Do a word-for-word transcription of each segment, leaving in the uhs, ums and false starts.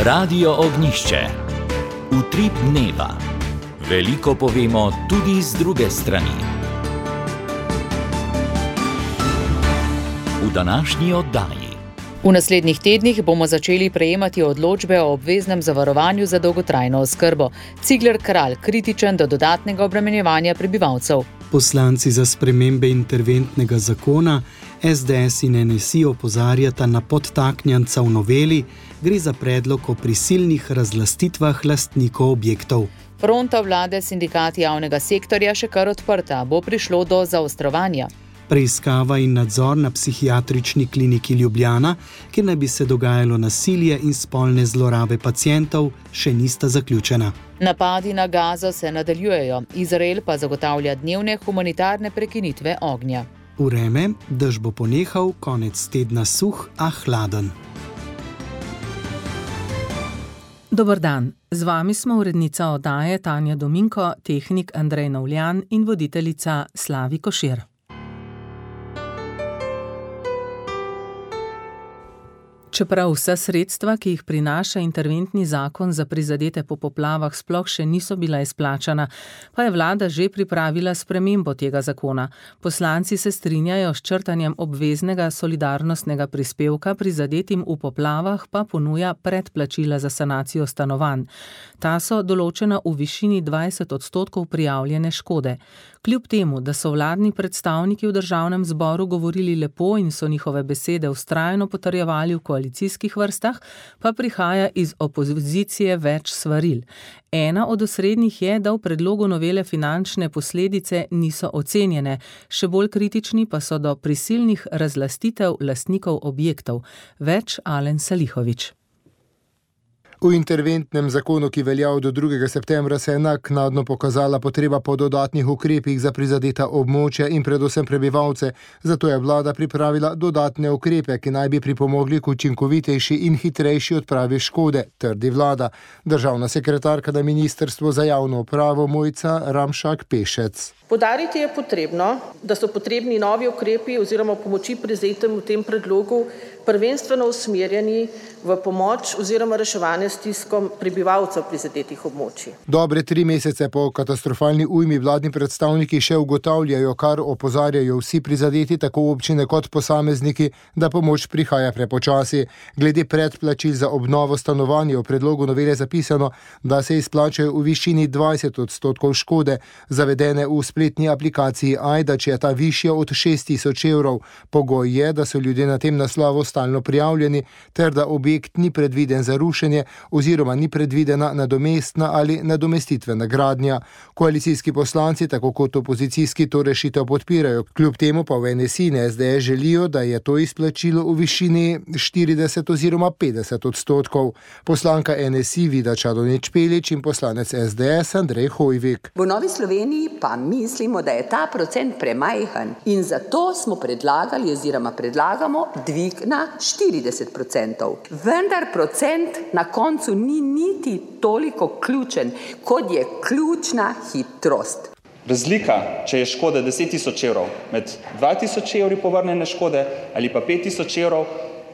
Radio Ognjišče. Utrip dneva. Veliko povemo tudi z druge strani. V današnji oddaji. V naslednjih tednih bomo začeli prejemati odločbe o obveznem zavarovanju za dolgotrajno oskrbo. Cigler Kralj kritičen do dodatnega obremenjevanja prebivalcev. Poslanci za spremembe interventnega zakona, es de es in en es i opozarjata na podtaknjanca v noveli, gre za predlog o prisilnih razlastitvah lastnikov objektov. Fronta vlade sindikati javnega sektorja še kar odprta, bo prišlo do zaostrovanja. Preiskava in nadzor na psihiatrični kliniki Ljubljana, kjer naj bi se dogajalo nasilje in spolne zlorabe pacientov, še nista zaključena. Napadi na Gazo se nadaljujejo, Izrael pa zagotavlja dnevne humanitarne prekinitve ognja. Vreme, dež bo ponehal, konec tedna suh, a hladen. Dober dan, z vami smo urednica oddaje Tanja Dominko, tehnik Andrej Navljan in voditeljica Slavi Košir. Čeprav vsa sredstva, ki jih prinaša interventni zakon za prizadete po poplavah, sploh še niso bila izplačana, pa je vlada že pripravila spremembo tega zakona. Poslanci se strinjajo s črtanjem obveznega solidarnostnega prispevka, prizadetim v poplavah pa ponuja predplačila za sanacijo stanovanj. Ta so določena v višini dvajset odstotkov prijavljene škode. Kljub temu, da so vladni predstavniki v državnem zboru govorili lepo in so njihove besede vztrajno potrjevali v koalicijskih vrstah, pa prihaja iz opozicije več svaril. Ena od osrednjih je, da v predlogu novele finančne posledice niso ocenjene, še bolj kritični pa so do prisilnih razlastitev lastnikov objektov. Več Alen Salihović. V interventnem zakonu, ki velja do drugega septembra, se je naknadno pokazala potreba po dodatnih ukrepih za prizadeta območja in predvsem prebivalce. Zato je vlada pripravila dodatne ukrepe, ki naj bi pripomogli k učinkovitejši in hitrejši odpravi škode, trdi vlada. Državna sekretarka na Ministrstvu za javno upravo Mojca Ramšak Pešec. Poudariti je potrebno, da so potrebni novi ukrepi oziroma pomoči prizadetim v tem predlogu prvenstveno usmerjeni v pomoč oziroma reševanje stiskom prebivalcev prizadetih območij. Dobre tri mesece po katastrofalni ujmi vladni predstavniki še ugotavljajo, kar opozarjajo vsi prizadeti, tako občine kot posamezniki, da pomoč prihaja prepočasi. Glede predplačil za obnovo stanovanja v predlogu novele zapisano, da se izplačajo v višini dvajset odstotkov škode, zavedene v spletni aplikaciji Ajda, če je ta višja od šest tisoč evrov. Pogoj je, da so ljudje na tem naslovu stalno prijavljeni, ter da objekt ni predviden za rušenje oziroma ni predvidena nadomestna ali nadomestitvena gradnja. Koalicijski poslanci, tako kot opozicijski, to rešitev podpirajo. Kljub temu pa v en es i in es de es želijo, da je to izplačilo v višini štirideset oziroma petdeset odstotkov. Poslanka en es i Vida Čadonič Špelič in poslanec es de es Andrej Hojvik. V Novi Sloveniji pa mislimo, da je ta procent premajhen in zato smo predlagali oziroma predlagamo dvig na štirideset procentov. Vendar procent na koncu ni niti toliko ključen, kot je ključna hitrost. Razlika, če je škoda deset tisoč evrov, med dva tisoč evri povrnjene škode ali pa pet tisoč evrov,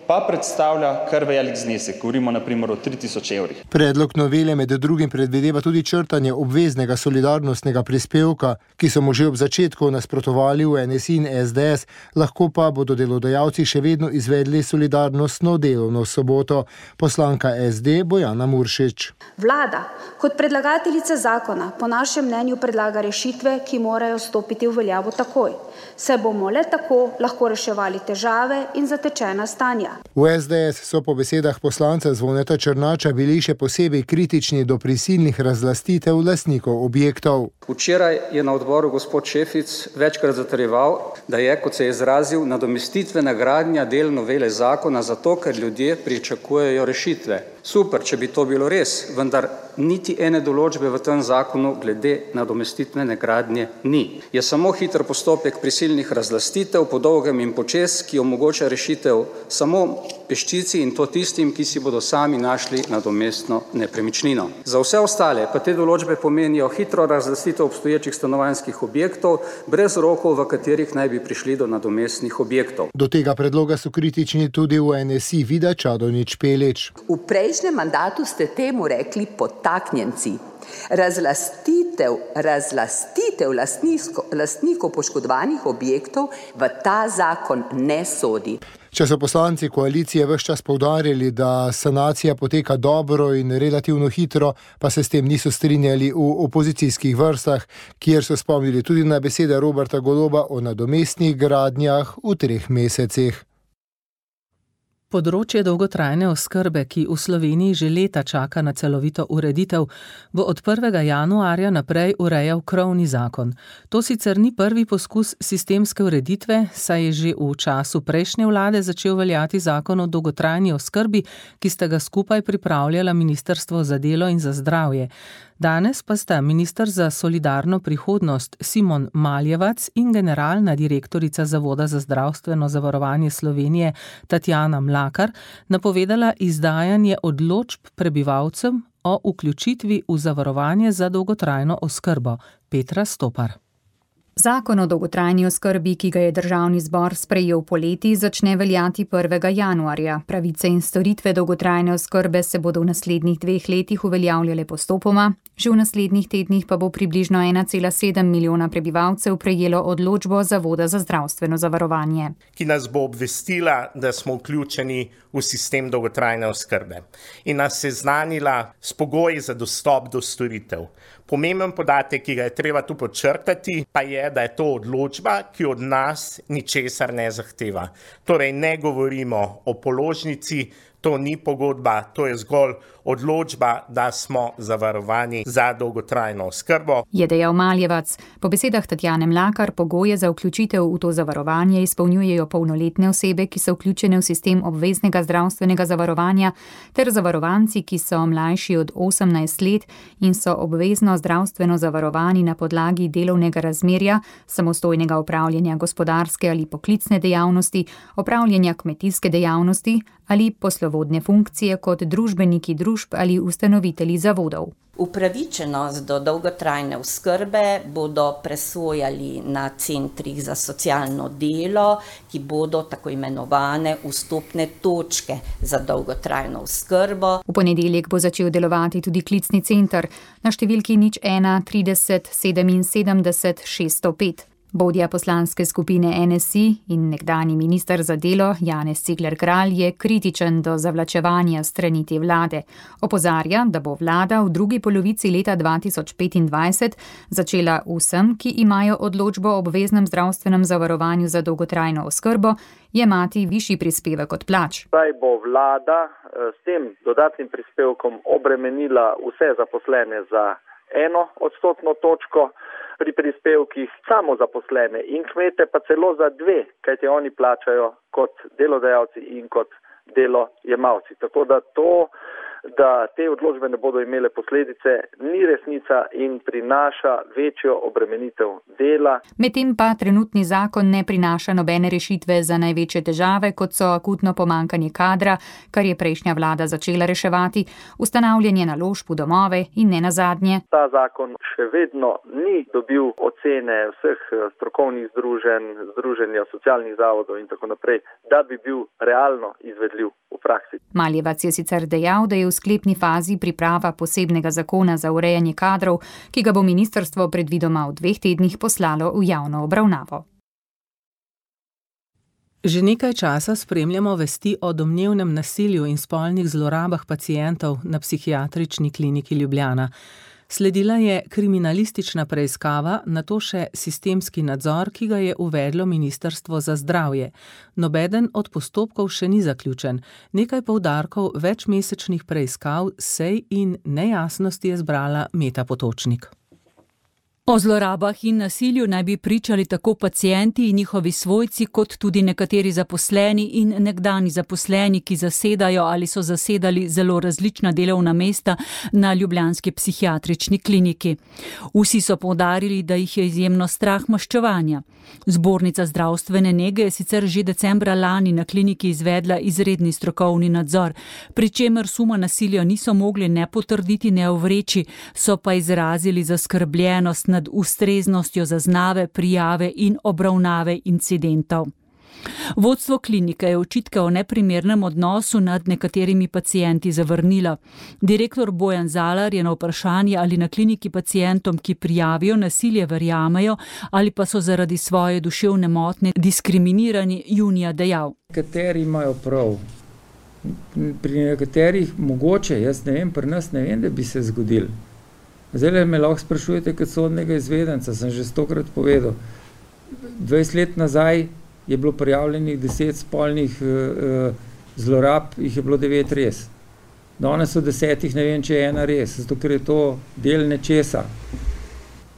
pa predstavlja kar velik znesek. Govorimo na primer o tri tisoč evrih. Predlog novele med drugim predvideva tudi črtanje obveznega solidarnostnega prispevka, ki so mu že ob začetku nasprotovali v en es i in es de es, lahko pa bodo delodajalci še vedno izvedli solidarnostno delovno soboto. Poslanka es de Bojana Muršič. Vlada kot predlagateljica zakona po našem mnenju predlaga rešitve, ki morajo stopiti v veljavo takoj. Se bomo le tako lahko reševali težave in zatečena stanja. V es de es so po besedah poslanca Zvoneta Černača bili še posebej kritični do prisilnih razlastitev lastnikov objektov. Včeraj je na odboru gospod Šefic večkrat zatrjeval, da je, kot se je izrazil, nadomestitvena gradnja del novele zakona zato, ker ljudje pričakujejo rešitve. Super, če bi to bilo res, vendar niti ene določbe v tem zakonu glede nadomestitvene gradnje ni. Je samo hiter postopek prisilnih razlastitev po dolgem in počez, ki omogoča rešitev samo peščici in to tistim, ki si bodo sami našli nadomestno nepremičnino. Za vse ostale pa te določbe pomenijo hitro razlastitev obstoječih stanovanjskih objektov brez rokov, v katerih naj bi prišli do nadomestnih objektov. Do tega predloga so kritični tudi v N S I Vida Čadonič Špelič. V prejšnjem mandatu ste temu rekli podtaknjenci. Razlastitev, razlastitev lastnisko, lastnikov poškodovanih objektov v ta zakon ne sodi. Če so poslanci koalicije ves čas poudarjali, da sanacija poteka dobro in relativno hitro, pa se s tem niso strinjali v opozicijskih vrstah, kjer so spomnili tudi na besede Roberta Goloba o nadomestnih gradnjah v treh mesecih. Področje dolgotrajne oskrbe, ki v Sloveniji že leta čaka na celovito ureditev, bo od prvega januarja naprej urejal krovni zakon. To sicer ni prvi poskus sistemske ureditve, saj je že v času prejšnje vlade začel veljati zakon o dolgotrajni oskrbi, ki sta ga skupaj pripravljala Ministrstvo za delo in za zdravje. Danes pa sta minister za solidarno prihodnost Simon Maljevac in generalna direktorica Zavoda za zdravstveno zavarovanje Slovenije Tatjana Mlakar napovedala izdajanje odločb prebivalcem o vključitvi v zavarovanje za dolgotrajno oskrbo. Petra Stopar. Zakon o dolgotrajni oskrbi, ki ga je državni zbor sprejel poleti, začne veljati prvega januarja. Pravice in storitve dolgotrajne oskrbe se bodo v naslednjih dveh letih uveljavljale postopoma, že v naslednjih tednih pa bo približno ena cela sedem milijona prebivalcev prejelo odločbo Zavoda za zdravstveno zavarovanje. Ki nas bo obvestila, da smo vključeni v sistem dolgotrajne oskrbe in nas seznanila s pogoji za dostop do storitev. Pomemben podatek, ki ga je treba tu podčrtati, pa je, da je to odločba, ki od nas ničesar ne zahteva. Torej ne govorimo o položnici, to ni pogodba, to je zgolj odločba, da smo zavarovani za dolgotrajno oskrbo. Je dejal Maljevac. Po besedah Tatjane Mlakar pogoje za vključitev v to zavarovanje izpolnjujejo polnoletne osebe, ki so vključene v sistem obveznega zdravstvenega zavarovanja, ter zavarovanci, ki so mlajši od osemnajst let in so obvezno zdravstveno zavarovani na podlagi delovnega razmerja, samostojnega opravljanja gospodarske ali poklicne dejavnosti, opravljanja kmetijske dejavnosti ali poslovodne funkcije kot družbeniki družb ali ustanovitelji zavodov. Upravičenost do dolgotrajne oskrbe bodo presojali na centrih za socialno delo, ki bodo tako imenovane vstopne točke za dolgotrajno oskrbo. V ponedeljek bo začel delovati tudi klicni center na številki nič ena trideset sedeminsedemdeset šeststo pet. Vodja poslanske skupine N S I in nekdanji minister za delo Janez Cigler Kralj je kritičen do zavlačevanja strani te vlade. Opozarja, da bo vlada v drugi polovici leta dva tisoč petindvajset začela vsem, ki imajo odločbo o obveznem zdravstvenem zavarovanju za dolgotrajno oskrbo, jemati višji prispevek od plač. Zdaj bo vlada s tem dodatnim prispevkom obremenila vse zaposlene za eno odstotno točko, pri prispevkih samozaposlene in kmete pa celo za dve, kajti oni plačajo kot delodajalci in kot delojemalci. Tako da to, da te odločbe ne bodo imele posledice, ni resnica in prinaša večjo obremenitev dela. Medtem pa trenutni zakon ne prinaša nobene rešitve za največje težave, kot so akutno pomanjkanje kadra, kar je prejšnja vlada začela reševati, ustanavljanje naložb v domove in ne nazadnje. Ta zakon še vedno ni dobil ocene vseh strokovnih združenj, združenja socialnih zavodov in tako naprej, da bi bil realno izvedljiv v praksi. Maljevac je sicer dejal, da je v sklepni fazi priprava posebnega zakona za urejanje kadrov, ki ga bo ministrstvo predvidoma v dveh tednih poslalo v javno obravnavo. Že nekaj časa spremljamo vesti o domnevnem nasilju in spolnih zlorabah pacientov na psihiatrični kliniki Ljubljana. Sledila je kriminalistična preiskava, nato še sistemski nadzor, ki ga je uvedlo Ministrstvo za zdravje. Nobeden od postopkov še ni zaključen. Nekaj poudarkov večmesečnih preiskav, sej in nejasnosti je zbrala Meta Potočnik. O zlorabah in nasilju naj bi pričali tako pacienti in njihovi svojci, kot tudi nekateri zaposleni in nekdani zaposleni, ki zasedajo ali so zasedali zelo različna delovna mesta na ljubljanski psihiatrični kliniki. Vsi so poudarili, da jih je izjemno strah maščevanja. Zbornica zdravstvene nege je sicer že decembra lani na kliniki izvedla izredni strokovni nadzor, pri čemer suma nasilja niso mogli ne potrditi, ne ovreči, so pa izrazili zaskrbljenost nad ustreznostjo zaznave, prijave in obravnave incidentov. Vodstvo klinike je očitke o neprimernem odnosu nad nekaterimi pacienti zavrnilo. Direktor Bojan Zalar je na vprašanje, ali na kliniki pacientom, ki prijavijo nasilje, verjamejo ali pa so zaradi svoje duševne motnje diskriminirani, junija dejal. Nekateri imajo prav. Pri nekaterih mogoče, jaz ne vem, pri nas ne vem, da bi se zgodil. Zdaj me lahko sprašujete kot sodnega izvedenca, sem že stokrat povedal. dvajset let nazaj je bilo prijavljenih deset spolnih uh, zlorab, jih je bilo devet res. Danes od desetih ne vem, če je ena res, zato ker je to del nečesa,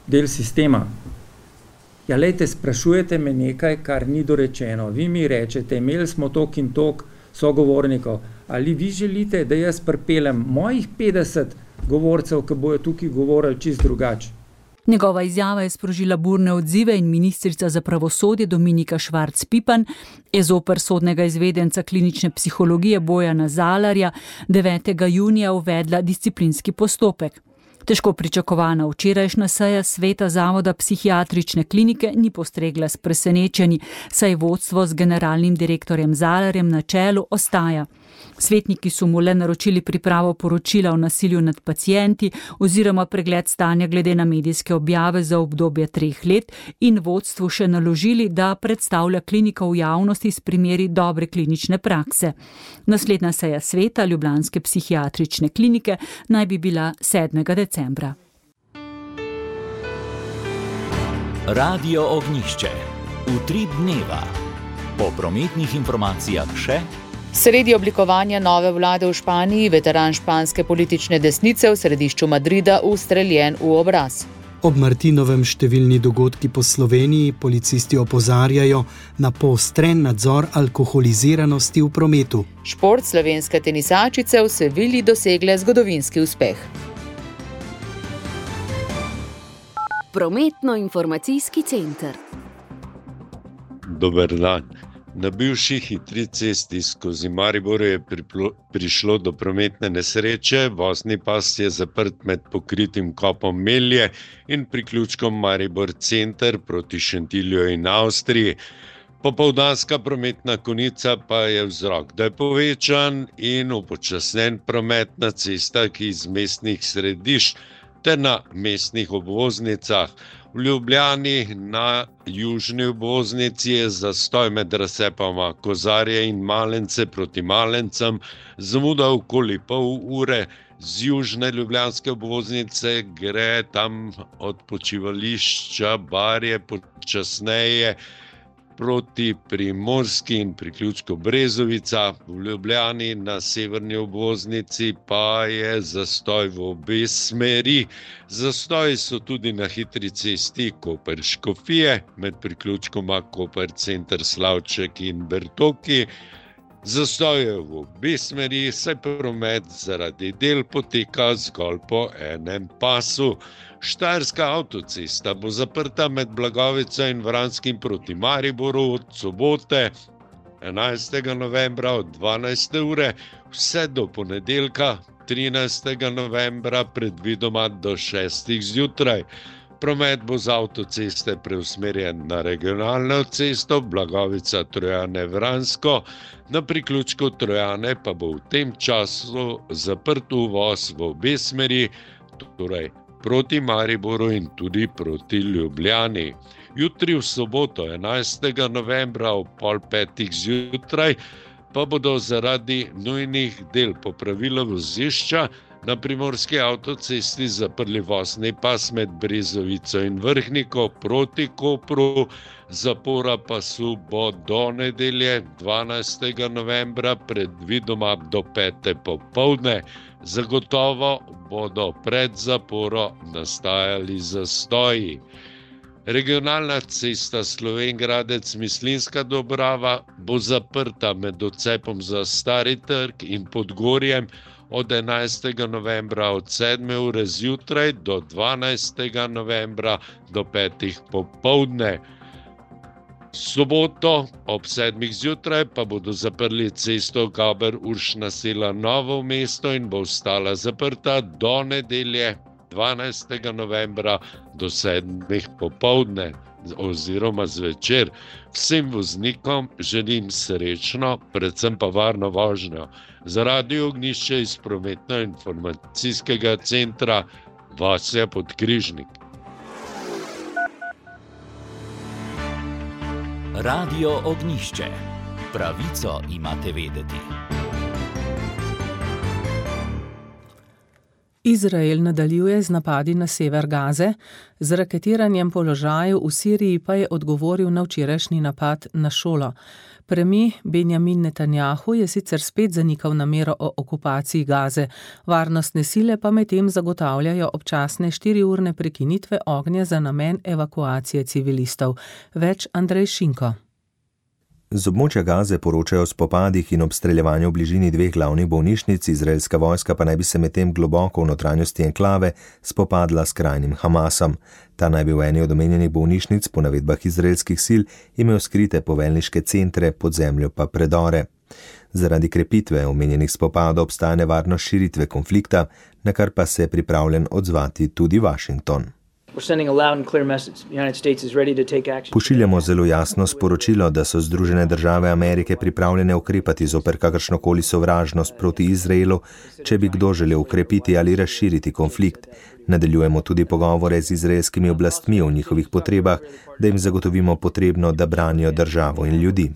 del sistema. Ja, lejte, sprašujete me nekaj, kar ni dorečeno. Vi mi rečete, imeli smo tok in tok sogovornikov, ali vi želite, da jaz pripeljem mojih petdeset govorcev, ki bojo tukaj govorili čist drugače? Njegova izjava je sprožila burne odzive in ministrica za pravosodje Dominika Švarc Pipan je zoper sodnega izvedenca klinične psihologije Bojana Zalarja devetega junija uvedla disciplinski postopek. Težko pričakovana včerajšnja seja sveta zavoda psihiatrične klinike ni postregla s presenečenji, saj vodstvo z generalnim direktorjem Zalarjem na čelu ostaja. Svetniki so mu le naročili pripravo poročila o nasilju nad pacienti oziroma pregled stanja glede na medijske objave za obdobje treh let in vodstvu še naložili, da predstavlja kliniko v javnosti s primeri dobre klinične prakse. Naslednja seja sveta ljubljanske psihiatrične klinike naj bi bila sedmega decembra. Radio Ognjišče. Utrip dneva. Po prometnih informacijah še. Sredi oblikovanja nove vlade v Španiji veteran španske politične desnice v središču Madrida ustreljen v obraz. Ob Martinovem številni dogodki po Sloveniji policisti opozarjajo na poostren nadzor alkoholiziranosti v prometu. Šport slovenske tenisačice v Sevilji dosegle zgodovinski uspeh. Prometno-informacijski center. Dober dan. Na bivši hitri cesti skozi Maribor je priplo, prišlo do prometne nesreče, vozni pas je zaprt med pokritim kopom Melje in priključkom Maribor center proti Šentilju in Avstriji. Popoldanska prometna konica pa je vzrok, da je povečan in upočasnen promet na cestah iz mestnih središč ter na mestnih obvoznicah. V Ljubljani na južni obvoznici je zastoj med razcepama Kozarje in Malence proti Malencem, zamuda okoli pol ure. Z južne ljubljanske obvoznice gre tam od počivališča Barje počasneje proti Primorski in priključku Brezovica. V Ljubljani na severni obvoznici pa je zastoj v obe smeri. Zastoji so tudi na hitri cesti Koper-Škofije med priključkoma Koper center Slavček in Bertoki. Zastoj je v obe smeri, saj promet zaradi del poteka zgolj po enem pasu. Štajerska avtocesta bo zaprta med Blagovico in Vranskim proti Mariboru od sobote enajstega novembra od dvanajste ure vse do ponedeljka trinajstega novembra predvidoma do šestih zjutraj. Promet bo z avtoceste preusmerjen na regionalno cesto Blagovica Trojane Vransko, na priključku Trojane pa bo v tem času zaprt uvoz v obe smeri, torej proti Mariboru in tudi proti Ljubljani. Jutri v soboto enajstega novembra ob pol petih zjutraj pa bodo zaradi nujnih del popravila vozišča Na primorski avtocesti zaprli vozni pas med Brezovico in Vrhniko proti Kopru, zapora pasu bo do nedelje dvanajstega novembra, predvidoma do pete popoldne. Zagotovo bodo pred zaporo nastajali zastoji. Regionalna cesta Slovenj Gradec-Mislinjska Dobrava bo zaprta med odcepom za Stari trg in Podgorjem od enajstega novembra od sedme ure zjutraj do dvanajstega novembra do petih popoldne. Soboto ob sedmih zjutraj pa bodo zaprli cesto Gaber-Uršna Sela Novo mesto in bo ostala zaprta do nedelje dvanajstega novembra do sedmih popoldne oziroma zvečer. Vsem voznikom želim srečno, predvsem pa varno vožnjo. Za Radio Ognjišče iz prometno-informacijskega centra Vasja Podkrižnik. Radio Ognjišče. Pravico imate vedeti. Izrael nadaljuje z napadi na sever Gaze, z raketiranjem položajev v Siriji pa je odgovoril na včerajšnji napad na šolo. Premijer Benjamin Netanjahu je sicer spet zanikal namero o okupaciji Gaze, varnostne sile pa medtem zagotavljajo občasne štiriurne prekinitve ognja za namen evakuacije civilistov. Več Andrej Šinko. Z območja Gaze poročajo o spopadih in obstreljevanju v bližini dveh glavnih bolnišnic, izraelska vojska pa naj bi se medtem globoko v notranjosti enklave spopadla s krajnim Hamasom. Ta naj bi v eni od omenjenih bolnišnic po navedbah izraelskih sil imel skrite poveljniške centre, pod zemljo pa predore. Zaradi krepitve omenjenih spopadov obstaja nevarnost širitve konflikta, na kar pa se je pripravljen odzvati tudi Washington. Pošiljamo zelo jasno sporočilo, da so Združene države Amerike pripravljene ukrepati zoper kakršnokoli sovražnost proti Izraelu, če bi kdo želel ukrepiti ali razširiti konflikt. Nadaljujemo tudi pogovore z izraelskimi oblastmi o njihovih potrebah, da jim zagotovimo potrebno, da branijo državo in ljudi.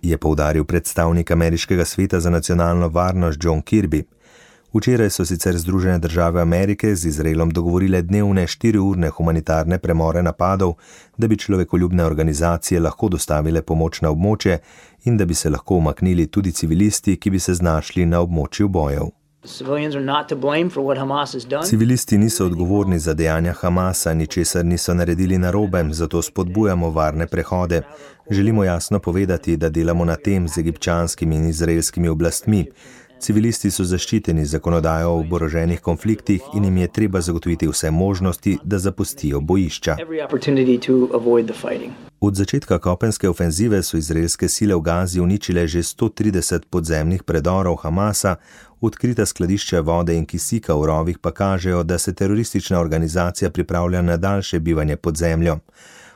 Je poudaril predstavnik Ameriškega sveta za nacionalno varnost John Kirby. Včeraj so sicer Združene države Amerike z Izraelom dogovorile dnevne štiriurne humanitarne premore napadov, da bi človekoljubne organizacije lahko dostavile pomoč na območje in da bi se lahko umaknili tudi civilisti, ki bi se znašli na območju bojev. Civilisti niso odgovorni za dejanja Hamasa, ničesar niso naredili narobe, zato spodbujamo varne prehode. Želimo jasno povedati, da delamo na tem z egipčanskimi in izraelskimi oblastmi. Civilisti so zaščiteni zakonodajo o oboroženih konfliktih in jim je treba zagotoviti vse možnosti, da zapustijo bojišča. Od začetka kopenske ofenzive so izraelske sile v Gazi uničile že sto trideset podzemnih predorov Hamasa, odkrita skladišča vode in kisika v rovih pa kažejo, da se teroristična organizacija pripravlja na daljše bivanje pod zemljo.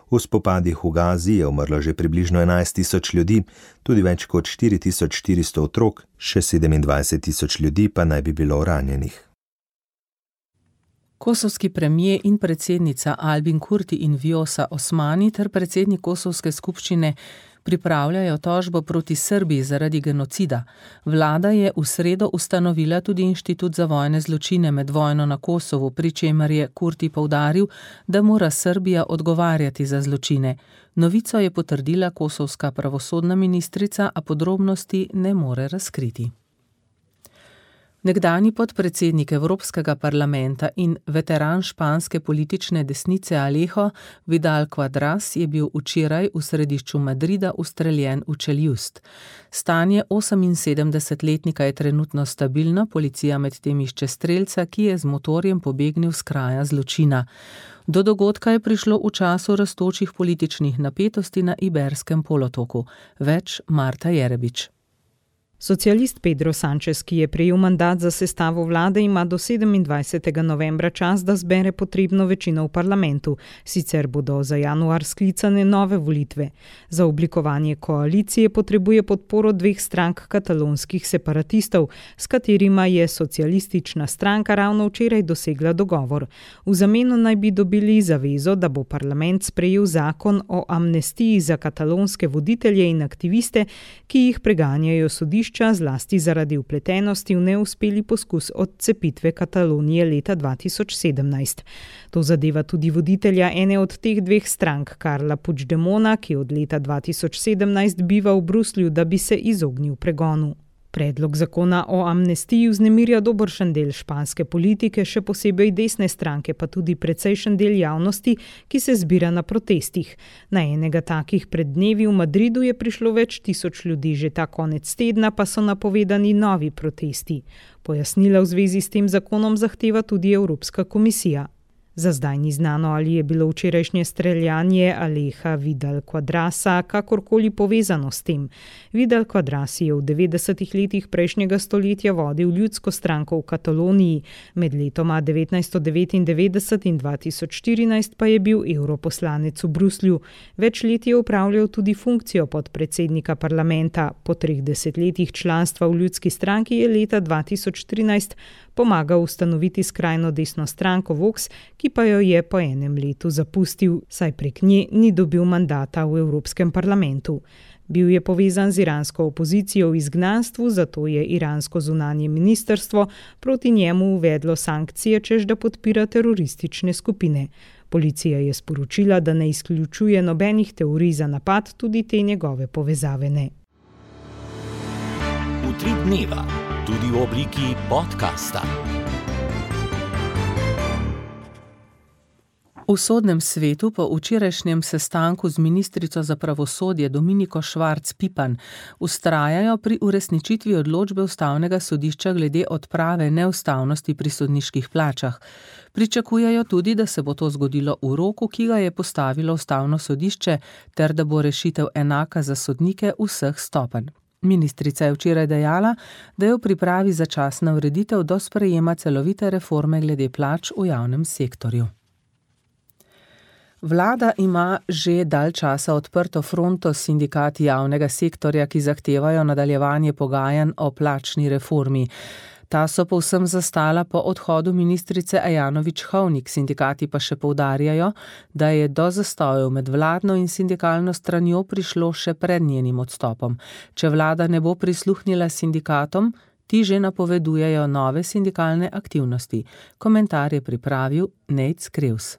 V spopadih v Gazi je umrlo že približno enajst tisoč ljudi, tudi več kot štiri tisoč štiristo otrok, še sedemindvajset tisoč ljudi pa naj bi bilo ranjenih. Kosovski premijer in predsednica Albin Kurti in Vjosa Osmani ter predsednik Kosovske skupščine pripravljajo tožbo proti Srbiji zaradi genocida. Vlada je v sredo ustanovila tudi Inštitut za vojne zločine med vojno na Kosovu, pri čemer je Kurti poudaril, da mora Srbija odgovarjati za zločine. Novico je potrdila kosovska pravosodna ministrica, a podrobnosti ne more razkriti. Nekdanji podpredsednik Evropskega parlamenta in veteran španske politične desnice Alejo Vidal Quadras je bil včeraj v središču Madrida ustreljen v čeljust. Stanje oseminsedemdesetletnika je trenutno stabilno, policija medtem išče strelca, ki je z motorjem pobegnil s kraja zločina. Do dogodka je prišlo v času rastočih političnih napetosti na Iberskem polotoku. Več Marta Jerebič. Socialist Pedro Sánchez, ki je prejel mandat za sestavo vlade, ima do sedemindvajsetega novembra čas, da zbere potrebno večino v parlamentu. Sicer bodo za januar sklicane nove volitve. Za oblikovanje koalicije potrebuje podporo dveh strank katalonskih separatistov, s katerima je socialistična stranka ravno včeraj dosegla dogovor. V zameno naj bi dobili zavezo, da bo parlament sprejel zakon o amnestiji za katalonske voditelje in aktiviste, ki jih preganjajo sodišče sodišča, zlasti zaradi vpletenosti v neuspeli poskus odcepitve Katalonije leta dva tisoč sedemnajst. To zadeva tudi voditelja ene od teh dveh strank, Carla Puigdemona, ki od leta dva tisoč sedemnajst biva v Bruslju, da bi se izognil pregonu. Predlog zakona o amnestiji vznemirja dobršen del španske politike, še posebej desne stranke, pa tudi precejšen del javnosti, ki se zbira na protestih. Na enega takih pred dnevi v Madridu je prišlo več tisoč ljudi, že ta konec tedna pa so napovedani novi protesti. Pojasnila v zvezi s tem zakonom zahteva tudi Evropska komisija. Za zdaj ni znano, ali je bilo včerajšnje streljanje Aleja Vidal Quadrasa kakorkoli povezano s tem. Vidal Quadras je v devetdesetih letih prejšnjega stoletja vodil ljudsko stranko v Kataloniji, med letoma devetnajststo devetindevetdeset in dva tisoč štirinajst pa je bil evroposlanec v Bruslju. Več let je upravljal tudi funkcijo podpredsednika parlamenta. Po treh desetletjih članstva v ljudski stranki je leta dva tisoč trinajst pomagal ustanoviti skrajno desno stranko Vox, ki pa jo je po enem letu zapustil, saj prek nje ni dobil mandata v Evropskem parlamentu. Bil je povezan z iransko opozicijo v izgnanstvu, zato je iransko zunanje ministrstvo proti njemu uvedlo sankcije, češ da podpira teroristične skupine. Policija je sporočila, da ne izključuje nobenih teorij za napad, tudi te njegove povezave ne. Utrip dneva, tudi v obliki podcasta. V sodnem svetu po včerajšnjem sestanku z ministrico za pravosodje Dominiko Švarc Pipan vztrajajo pri uresničitvi odločbe ustavnega sodišča glede odprave neustavnosti pri sodniških plačah. Pričakujejo tudi, da se bo to zgodilo v roku, ki ga je postavilo ustavno sodišče, ter da bo rešitev enaka za sodnike vseh stopenj. Ministrica je včeraj dejala, da je v pripravi začasna ureditev do sprejema celovite reforme glede plač v javnem sektorju. Vlada ima že dalj časa odprto fronto s sindikati javnega sektorja, ki zahtevajo nadaljevanje pogajanj o plačni reformi. Ta so povsem zastala po odhodu ministrice Ajanović-Hovnik, sindikati pa še poudarjajo, da je do zastojev med vladno in sindikalno stranjo prišlo še pred njenim odstopom. Če vlada ne bo prisluhnila sindikatom, ti že napovedujejo nove sindikalne aktivnosti. Komentar je pripravil Nejc Krevs.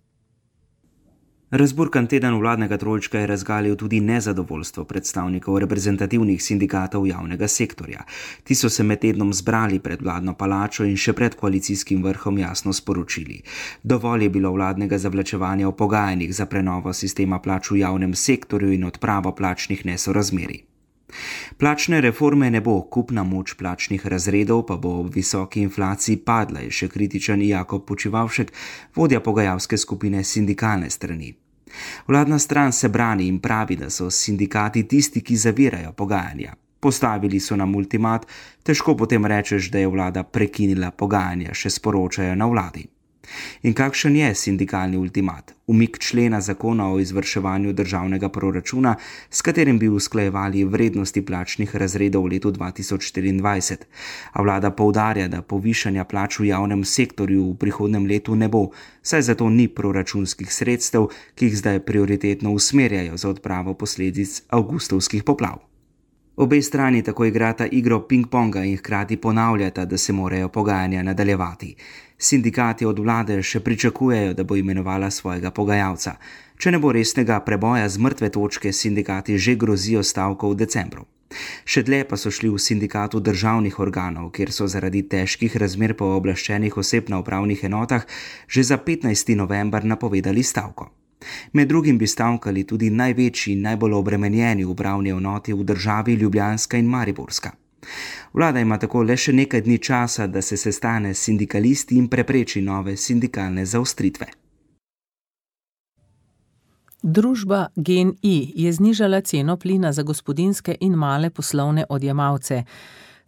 Razburkan teden vladnega trojčka je razgalil tudi nezadovoljstvo predstavnikov reprezentativnih sindikatov javnega sektorja. Ti so se med tednom zbrali pred vladno palačo in še pred koalicijskim vrhom jasno sporočili. Dovolj je bilo vladnega zavlačevanja v pogajanjih za prenovo sistema plač v javnem sektorju in odpravo plačnih nesorazmerij. Plačne reforme ne bo, kupna moč plačnih razredov pa bo ob visoki inflaciji padla, je še kritičen Jakob Počivavšek, vodja pogajalske skupine sindikalne strani. Vladna stran se brani in pravi, da so sindikati tisti, ki zavirajo pogajanja. Postavili so nam ultimat, težko potem rečeš, da je vlada prekinila pogajanja, še sporočajo na vladi. In kakšen je sindikalni ultimat? Umik člena zakona o izvrševanju državnega proračuna, s katerim bi usklajevali vrednosti plačnih razredov v letu dva tisoč štiriindvajset. A vlada poudarja, da povišanja plač v javnem sektorju v prihodnjem letu ne bo, saj zato ni proračunskih sredstev, ki jih zdaj prioritetno usmerjajo za odpravo posledic avgustovskih poplav. Obe strani tako igrata igro ping-ponga in hkrati ponavljata, da se morajo pogajanja nadaljevati. Sindikati od vlade še pričakujejo, da bo imenovala svojega pogajalca. Če ne bo resnega preboja z mrtve točke, sindikati že grozijo stavko v decembru. Še dlje pa so šli v sindikatu državnih organov, kjer so zaradi težkih razmer pooblaščenih oseb na upravnih enotah že za petnajsti november napovedali stavko. Med drugim bi stavkali tudi največji in najbolj obremenjeni upravni enoti v državi Ljubljanska in Mariborska. Vlada ima tako le še nekaj dni časa, da se sestane s sindikalisti in prepreči nove sindikalne zaostritve. Družba GEN-I je znižala ceno plina za gospodinjske in male poslovne odjemalce.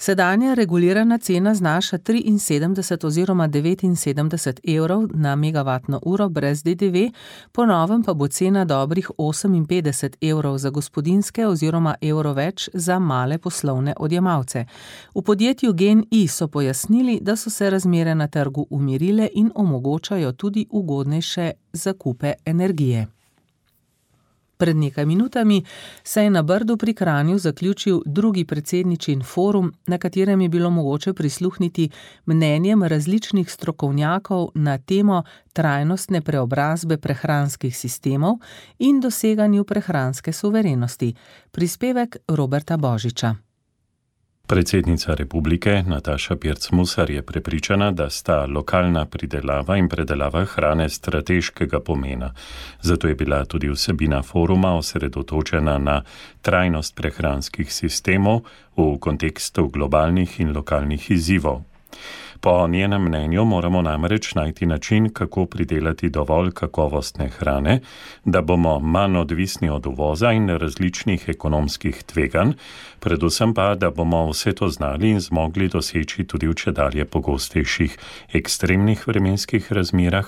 Sedanja regulirana cena znaša triinsedemdeset oziroma devetinsedemdeset evrov na megavatno uro brez D D V, po novem pa bo cena dobrih oseminpetdeset evrov za gospodinjske oziroma evro več za male poslovne odjemalce. V podjetju GEN-I so pojasnili, da so se razmere na trgu umirile in omogočajo tudi ugodnejše zakupe energije. Pred nekaj minutami se je na Brdu pri Kranju zaključil drugi predsedničin forum, na katerem je bilo mogoče prisluhniti mnenjem različnih strokovnjakov na temo trajnostne preobrazbe prehranskih sistemov in doseganju prehranske suverenosti. Prispevek Roberta Božiča. Predsednica republike Nataša Pirc-Musar je prepričana, da sta lokalna pridelava in predelava hrane strateškega pomena. Zato je bila tudi vsebina foruma osredotočena na trajnost prehranskih sistemov v kontekstu globalnih in lokalnih izzivov. Po njenem mnenju moramo namreč najti način, kako pridelati dovolj kakovostne hrane, da bomo manj odvisni od uvoza in različnih ekonomskih tveganj, predvsem pa, da bomo vse to znali in zmogli doseči tudi v čedalje pogostejših ekstremnih vremenskih razmerah,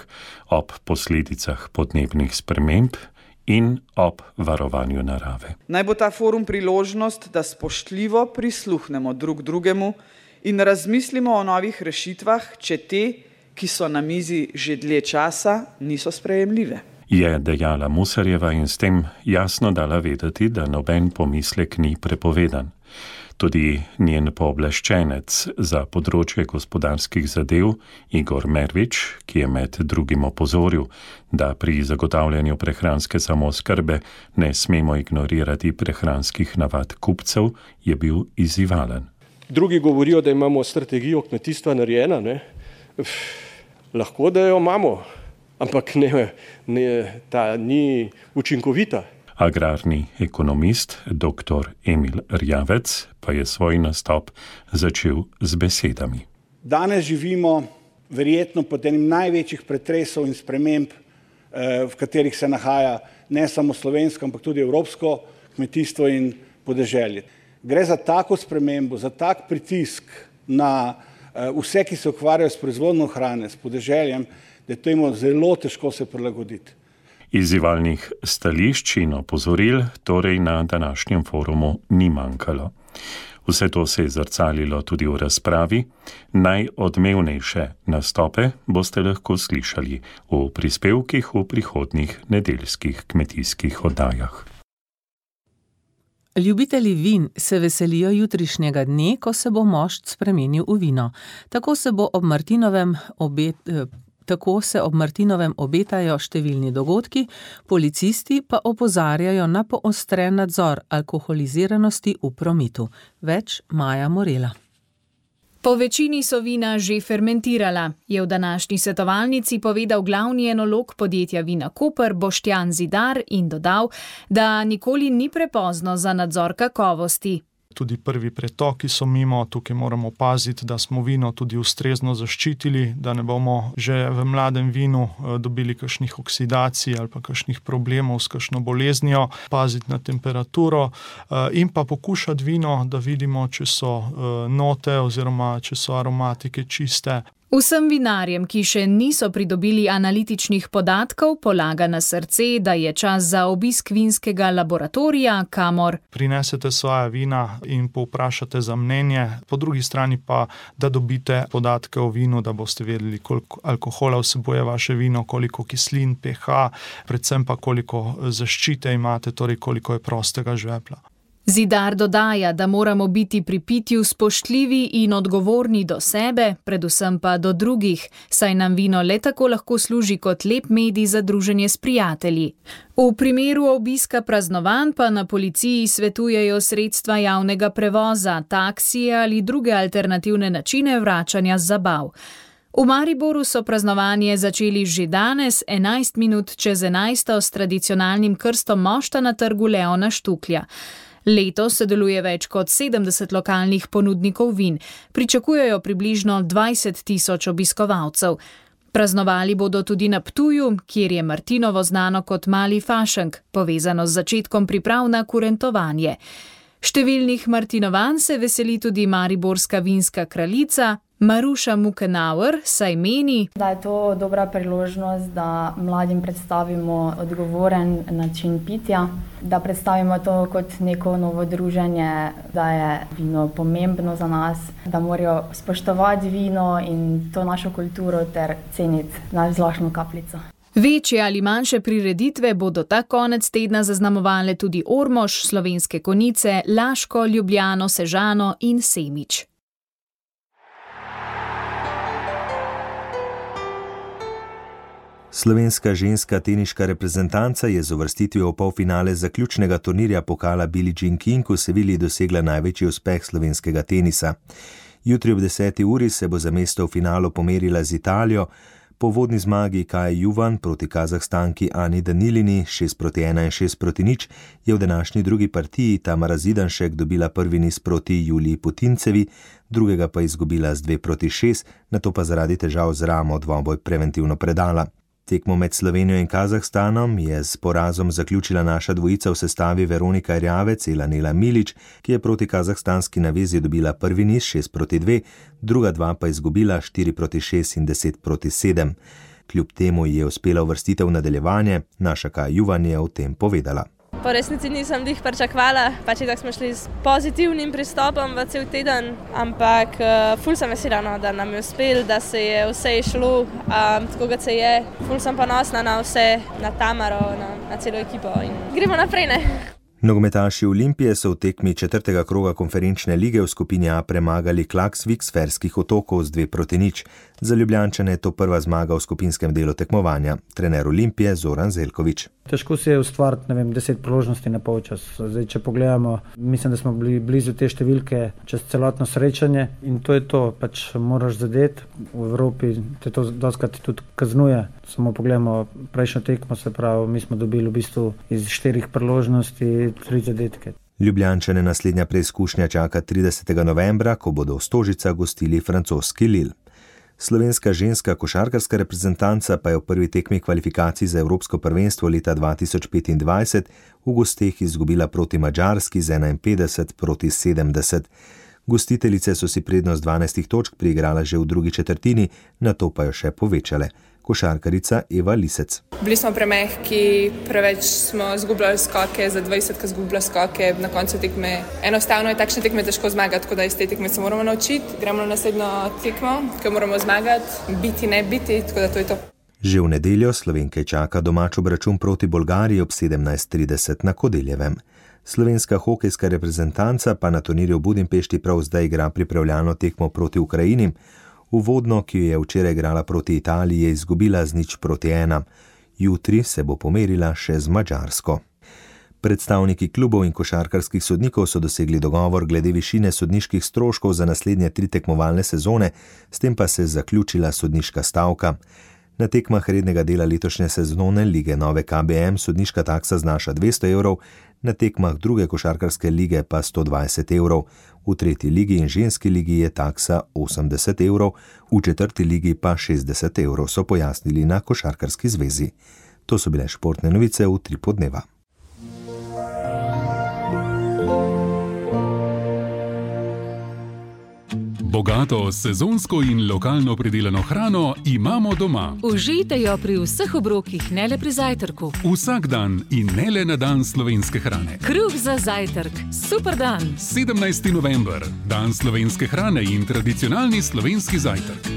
ob posledicah podnebnih sprememb in ob varovanju narave. Naj bo ta forum priložnost, da spoštljivo prisluhnemo drug drugemu in razmislimo o novih rešitvah, če te, ki so na mizi že dlje časa, niso sprejemljive. Je dejala Musarjeva in s tem jasno dala vedeti, da noben pomislek ni prepovedan. Tudi njen pooblaščenec za področje gospodarskih zadev Igor Mervič, ki je med drugim opozoril, da pri zagotavljanju prehranske samooskrbe ne smemo ignorirati prehranskih navad kupcev, je bil izzivalen. Drugi govorijo, da imamo strategijo kmetijstva narejena, ne? Lahko, da jo imamo, ampak ne, ne, ta ni učinkovita. Agrarni ekonomist dr. Emil Rjavec pa je svoj nastop začel z besedami. Danes živimo verjetno pod enim največjih pretresov in sprememb, v katerih se nahaja ne samo slovensko, ampak tudi evropsko kmetijstvo in podeželje. Gre za tako spremembo, za tak pritisk na vse, ki se ukvarjajo s proizvodnjo hrane, s podeželjem, da je temu zelo težko se prilagoditi. Izzivalnih stališč in opozoril torej na današnjem forumu ni manjkalo. Vse to se je zrcalilo tudi v razpravi. Najodmevnejše nastope boste lahko slišali v prispevkih v prihodnjih nedeljskih kmetijskih oddajah. Ljubitelji vin se veselijo jutrišnjega dne, ko se bo mošt spremenil v vino. Tako se bo ob Martinovem obet, tako se ob Martinovem obetajo številni dogodki, policisti pa opozarjajo na poostren nadzor alkoholiziranosti v prometu. Več Maja Morela. Po večini so vina že fermentirala, je v današnji svetovalnici povedal glavni enolog podjetja Vina Koper Boštjan Zidar in dodal, da nikoli ni prepozno za nadzor kakovosti. Tudi prvi pretoki so mimo, tukaj moramo paziti, da smo vino tudi ustrezno zaščitili, da ne bomo že v mladem vinu dobili kakšnih oksidacij ali pa kakšnih problemov s kakšno boleznijo, paziti na temperaturo in pa pokušati vino, da vidimo, če so note oziroma če so aromatike čiste. Vsem vinarjem, ki še niso pridobili analitičnih podatkov, polaga na srce, da je čas za obisk vinskega laboratorija, kamor prinesete svoja vina in povprašate za mnenje, po drugi strani pa, da dobite podatke o vinu, da boste vedeli, koliko alkohola vsebuje vaše vino, koliko kislin, pH, predvsem pa koliko zaščite imate, torej koliko je prostega žvepla. Zidar dodaja, da moramo biti pri pitju spoštljivi in odgovorni do sebe, predvsem pa do drugih, saj nam vino le tako lahko služi kot lep medij za druženje s prijatelji. V primeru obiska praznovanj pa na policiji svetujejo sredstva javnega prevoza, taksije ali druge alternativne načine vračanja z zabav. V Mariboru so praznovanje začeli že danes, enajst minut čez enajsto, s tradicionalnim krstom mošta na trgu Leona Štuklja. Letos sodeluje več kot sedemdeset lokalnih ponudnikov vin, pričakujejo približno dvajset tisoč obiskovalcev. Praznovali bodo tudi na Ptuju, kjer je Martinovo znano kot Mali Fašenk, povezano z začetkom priprav na kurentovanje. Številnih Martinovanj se veseli tudi mariborska vinska kraljica Maruša Mukenauer, saj meni, da je to dobra priložnost, da mladim predstavimo odgovoren način pitja, da predstavimo to kot neko novo druženje, da je vino pomembno za nas, da morajo spoštovati vino in to našo kulturo ter ceniti najzlašno kapljico. Večje ali manjše prireditve bodo ta konec tedna zaznamovale tudi Ormož, Slovenske Konjice, Laško, Ljubljano, Sežano in Semič. Slovenska ženska teniška reprezentanca je z uvrstitvijo v polfinale zaključnega turnirja pokala Billie Jean King v Sevilji dosegla največji uspeh slovenskega tenisa. Jutri ob deseti uri se bo za mesto v finalu pomerila z Italijo. Po vodni zmagi Kaje Juvan proti Kazahstanki Ani Danilini šest proti ena in šest proti nič je v današnji drugi partiji Tamara Zidanšek dobila prvi niz proti Juliji Putincevi, drugega pa izgubila z dve proti šest, nato pa zaradi težav z ramo dvoboj preventivno predala. Tekmo med Slovenijo in Kazahstanom je s porazom zaključila naša dvojica v sestavi Veronika Erjavec in Nela Milič, ki je proti kazahstanski navezi dobila prvi niz šest proti dve, druga dva pa izgubila štiri proti šest in deset proti sedem. Kljub temu je uspela uvrstitev v nadaljevanje, naša Kaja Juvan je o tem povedala. Po resnici nisem dih pričakvala, pač tako smo šli s pozitivnim pristopom v cel teden, ampak uh, ful sem vesela, no, da nam je uspel, da se je vse išlo, um, tako kot se je. Ful sem ponosna na vse, na Tamaro, na, na celo ekipo in gremo naprej, ne? Nogometaši Olimpije so v tekmi četrtega kroga konferenčne lige v skupini A premagali Klaksvik s Ferskih otokov z dve proti nič. Za Ljubljančane je to prva zmaga v skupinskem delu tekmovanja. Trener Olimpije Zoran Zeljković. Težko se je ustvariti, ne vem, deset priložnosti na polčas. Zdaj, če pogledamo, mislim, da smo bili blizu te številke čez celotno srečanje in to je to, pač moraš zadeti. V Evropi te to dostakrat tudi kaznuje. Samo pogledamo prejšnjo tekmo, se pravi, mi smo dobili v bistvu iz štirih priložnosti tri zadetke. Ljubljančane naslednja preizkušnja čaka tridesetega novembra, ko bodo v Stožicah gostili francoski Lille. Slovenska ženska košarkarska reprezentanca pa je v prvi tekmi kvalifikacij za Evropsko prvenstvo leta dva tisoč petindvajset v gosteh izgubila proti Madžarski z enainpetdeset proti sedemdeset. Gostiteljice so si prednost dvanajstih točk priigrala že v drugi četrtini, nato pa jo še povečale. Košarkarica Eva Lisec. Bili smo premehki, preveč smo izgubljali skoke, za dvajset, ki izgublja skoke na koncu tekme. Enostavno je takšne tekme težko zmagati, tako da iz te tekme se moramo naučiti. Gremo na naslednjo tekmo, ki moramo zmagati, biti, ne biti, tako da to je to. Že v nedeljo Slovenke čaka domač obračun proti Bolgariji ob sedemnajst trideset na Kodeljevem. Slovenska hokejska reprezentanca pa na turnirju v Budimpešti prav zdaj igra pripravljalno tekmo proti Ukrajini. Uvodno, ki jo je včeraj igrala proti Italiji, je izgubila z nič proti ena. Jutri se bo pomerila še z Madžarsko. Predstavniki klubov in košarkarskih sodnikov so dosegli dogovor glede višine sodniških stroškov za naslednje tri tekmovalne sezone, s tem pa se je zaključila sodniška stavka. Na tekmah rednega dela letošnje sezone lige Nove K B M sodniška taksa znaša dvesto evrov, na tekmah druge košarkarske lige pa sto dvajset evrov. V tretji ligi in ženski ligi je taksa osemdeset evrov, v četrti ligi pa šestdeset evrov, so pojasnili na Košarkarski zvezi. To so bile športne novice v Utripu dneva. Bogato, sezonsko in lokalno pridelano hrano imamo doma. Užijte jo pri vseh obrokih, ne le pri zajtrku. Vsak dan in ne le na dan slovenske hrane. Kruh za zajtrk. Super dan. sedemnajsti november. Dan slovenske hrane in tradicionalni slovenski zajtrk.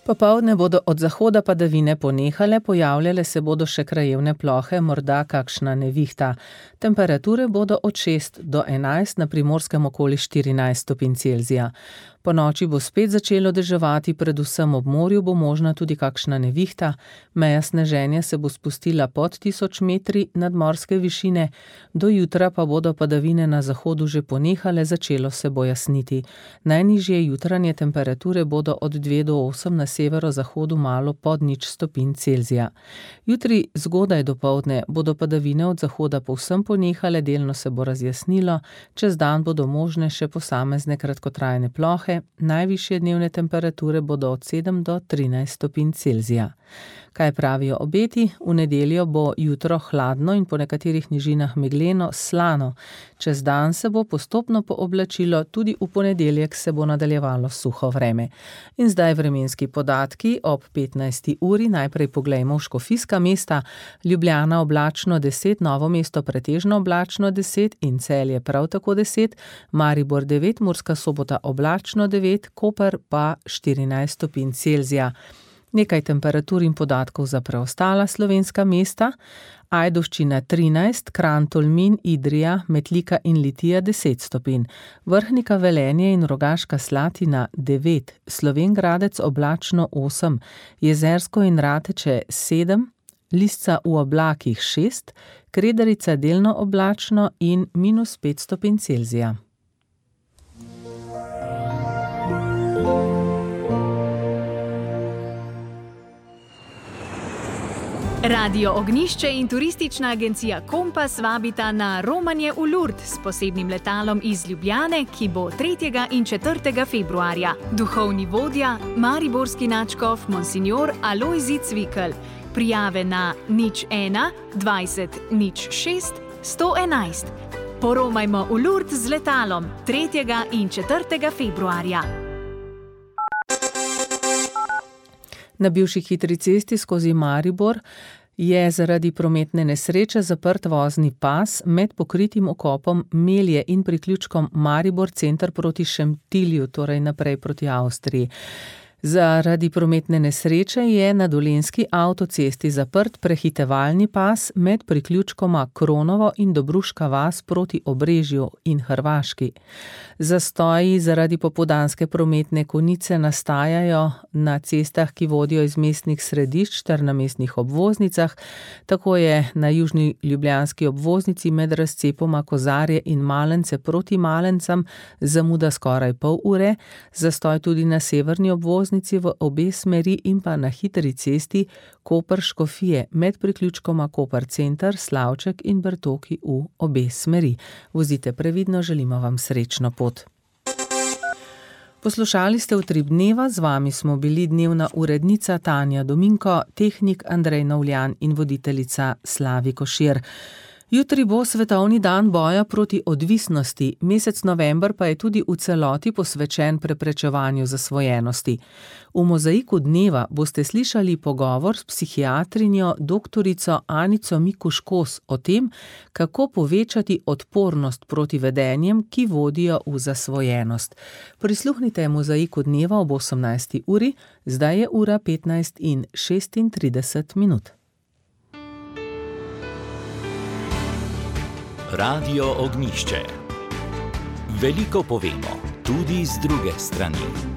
Popoldne bodo od zahoda padavine ponehale, pojavljale se bodo še krajevne plohe, morda kakšna nevihta. Temperature bodo od šest do enajst, na Primorskem okoli štirinajst stopinj Celzija. Po noči bo spet začelo deževati, predvsem ob morju bo možna tudi kakšna nevihta. Meja sneženja se bo spustila pod tisoč metri nadmorske višine, do jutra pa bodo padavine na zahodu že ponehale, začelo se bo jasniti. Najnižje jutranje temperature bodo od dve do osem, na severozahodu malo pod nič stopinj Celzija. Jutri zgodaj dopoldne bodo padavine od zahoda povsem ponehale, delno se bo razjasnilo, čez dan bodo možne še posamezne kratkotrajne plohe. Najvišje dnevne temperature bodo od sedem do trinajst stopinj Celzija. Kaj pravijo obeti? V nedeljo bo jutro hladno in po nekaterih nižinah megleno, slano. Čez dan se bo postopno pooblačilo, tudi v ponedeljek se bo nadaljevalo suho vreme. In zdaj vremenski podatki ob petnajsti uri. Najprej poglejmo v škofijska mesta. Ljubljana oblačno deset, Novo mesto pretežno oblačno deset in Celje prav tako deset, Maribor devet, Murska Sobota oblačno devet, Koper pa štirinajst stopinj Celzija. Nekaj temperatur in podatkov za preostala slovenska mesta. Ajdovščina trinajst, Kranj, Tolmin, Idrija, Metlika in Litija deset stopinj. Vrhnika, Velenje in Rogaška Slatina devet, Slovenj Gradec oblačno osem, Jezersko in Rateče sedem, Lisca v oblakih šest, Kredarica delno oblačno in minus pet stopinj Celzija. Radio Ognjišče in turistična agencija Kompas vabita na romanje v Lourdes s posebnim letalom iz Ljubljane, ki bo tretjega in četrtega februarja. Duhovni vodja, mariborski nadškof Monsignor Alojzij Cvikl. Prijave na nič ena, dvajset, nič šest, sto enajst. Poromajmo v Lourdes z letalom tretjega in četrtega februarja. Na bivši hitri cesti skozi Maribor je zaradi prometne nesreče zaprt vozni pas med pokritim okopom Melje in priključkom Maribor center proti Šentilju, torej naprej proti Avstriji. Zaradi prometne nesreče je na dolenjski avtocesti zaprt prehitevalni pas med priključkoma Kronovo in Dobruška vas proti Obrežju in Hrvaški. Zastoji zaradi popoldanske prometne konice nastajajo na cestah, ki vodijo iz mestnih središč ter na mestnih obvoznicah. Tako je na južni ljubljanski obvoznici med razcepoma Kozarje in Malence proti Malencam zamuda skoraj pol ure, zastoj tudi na severni obvoznici v obe smeri in pa na hitri cesti Koper-Škofije med priključkoma Koper center, Slavček in Bertoki v obe smeri. Vozite previdno, želimo vam srečno pot. Poslušali ste Utrip dneva, z vami smo bili dnevna urednica Tanja Dominko, tehnik Andrej Novljan in voditeljica Slavi Košir. Jutri bo svetovni dan boja proti odvisnosti, mesec november pa je tudi v celoti posvečen preprečevanju zasvojenosti. V mozaiku dneva boste slišali pogovor s psihiatrinjo doktorico Anico Mikuš-Kos o tem, kako povečati odpornost proti vedenjem, ki vodijo v zasvojenost. Prisluhnite mozaiku dneva ob osemnajsti uri, zdaj je ura petnajst in šestintrideset minut. Radio Ognjišče. Veliko povemo, tudi z druge strani.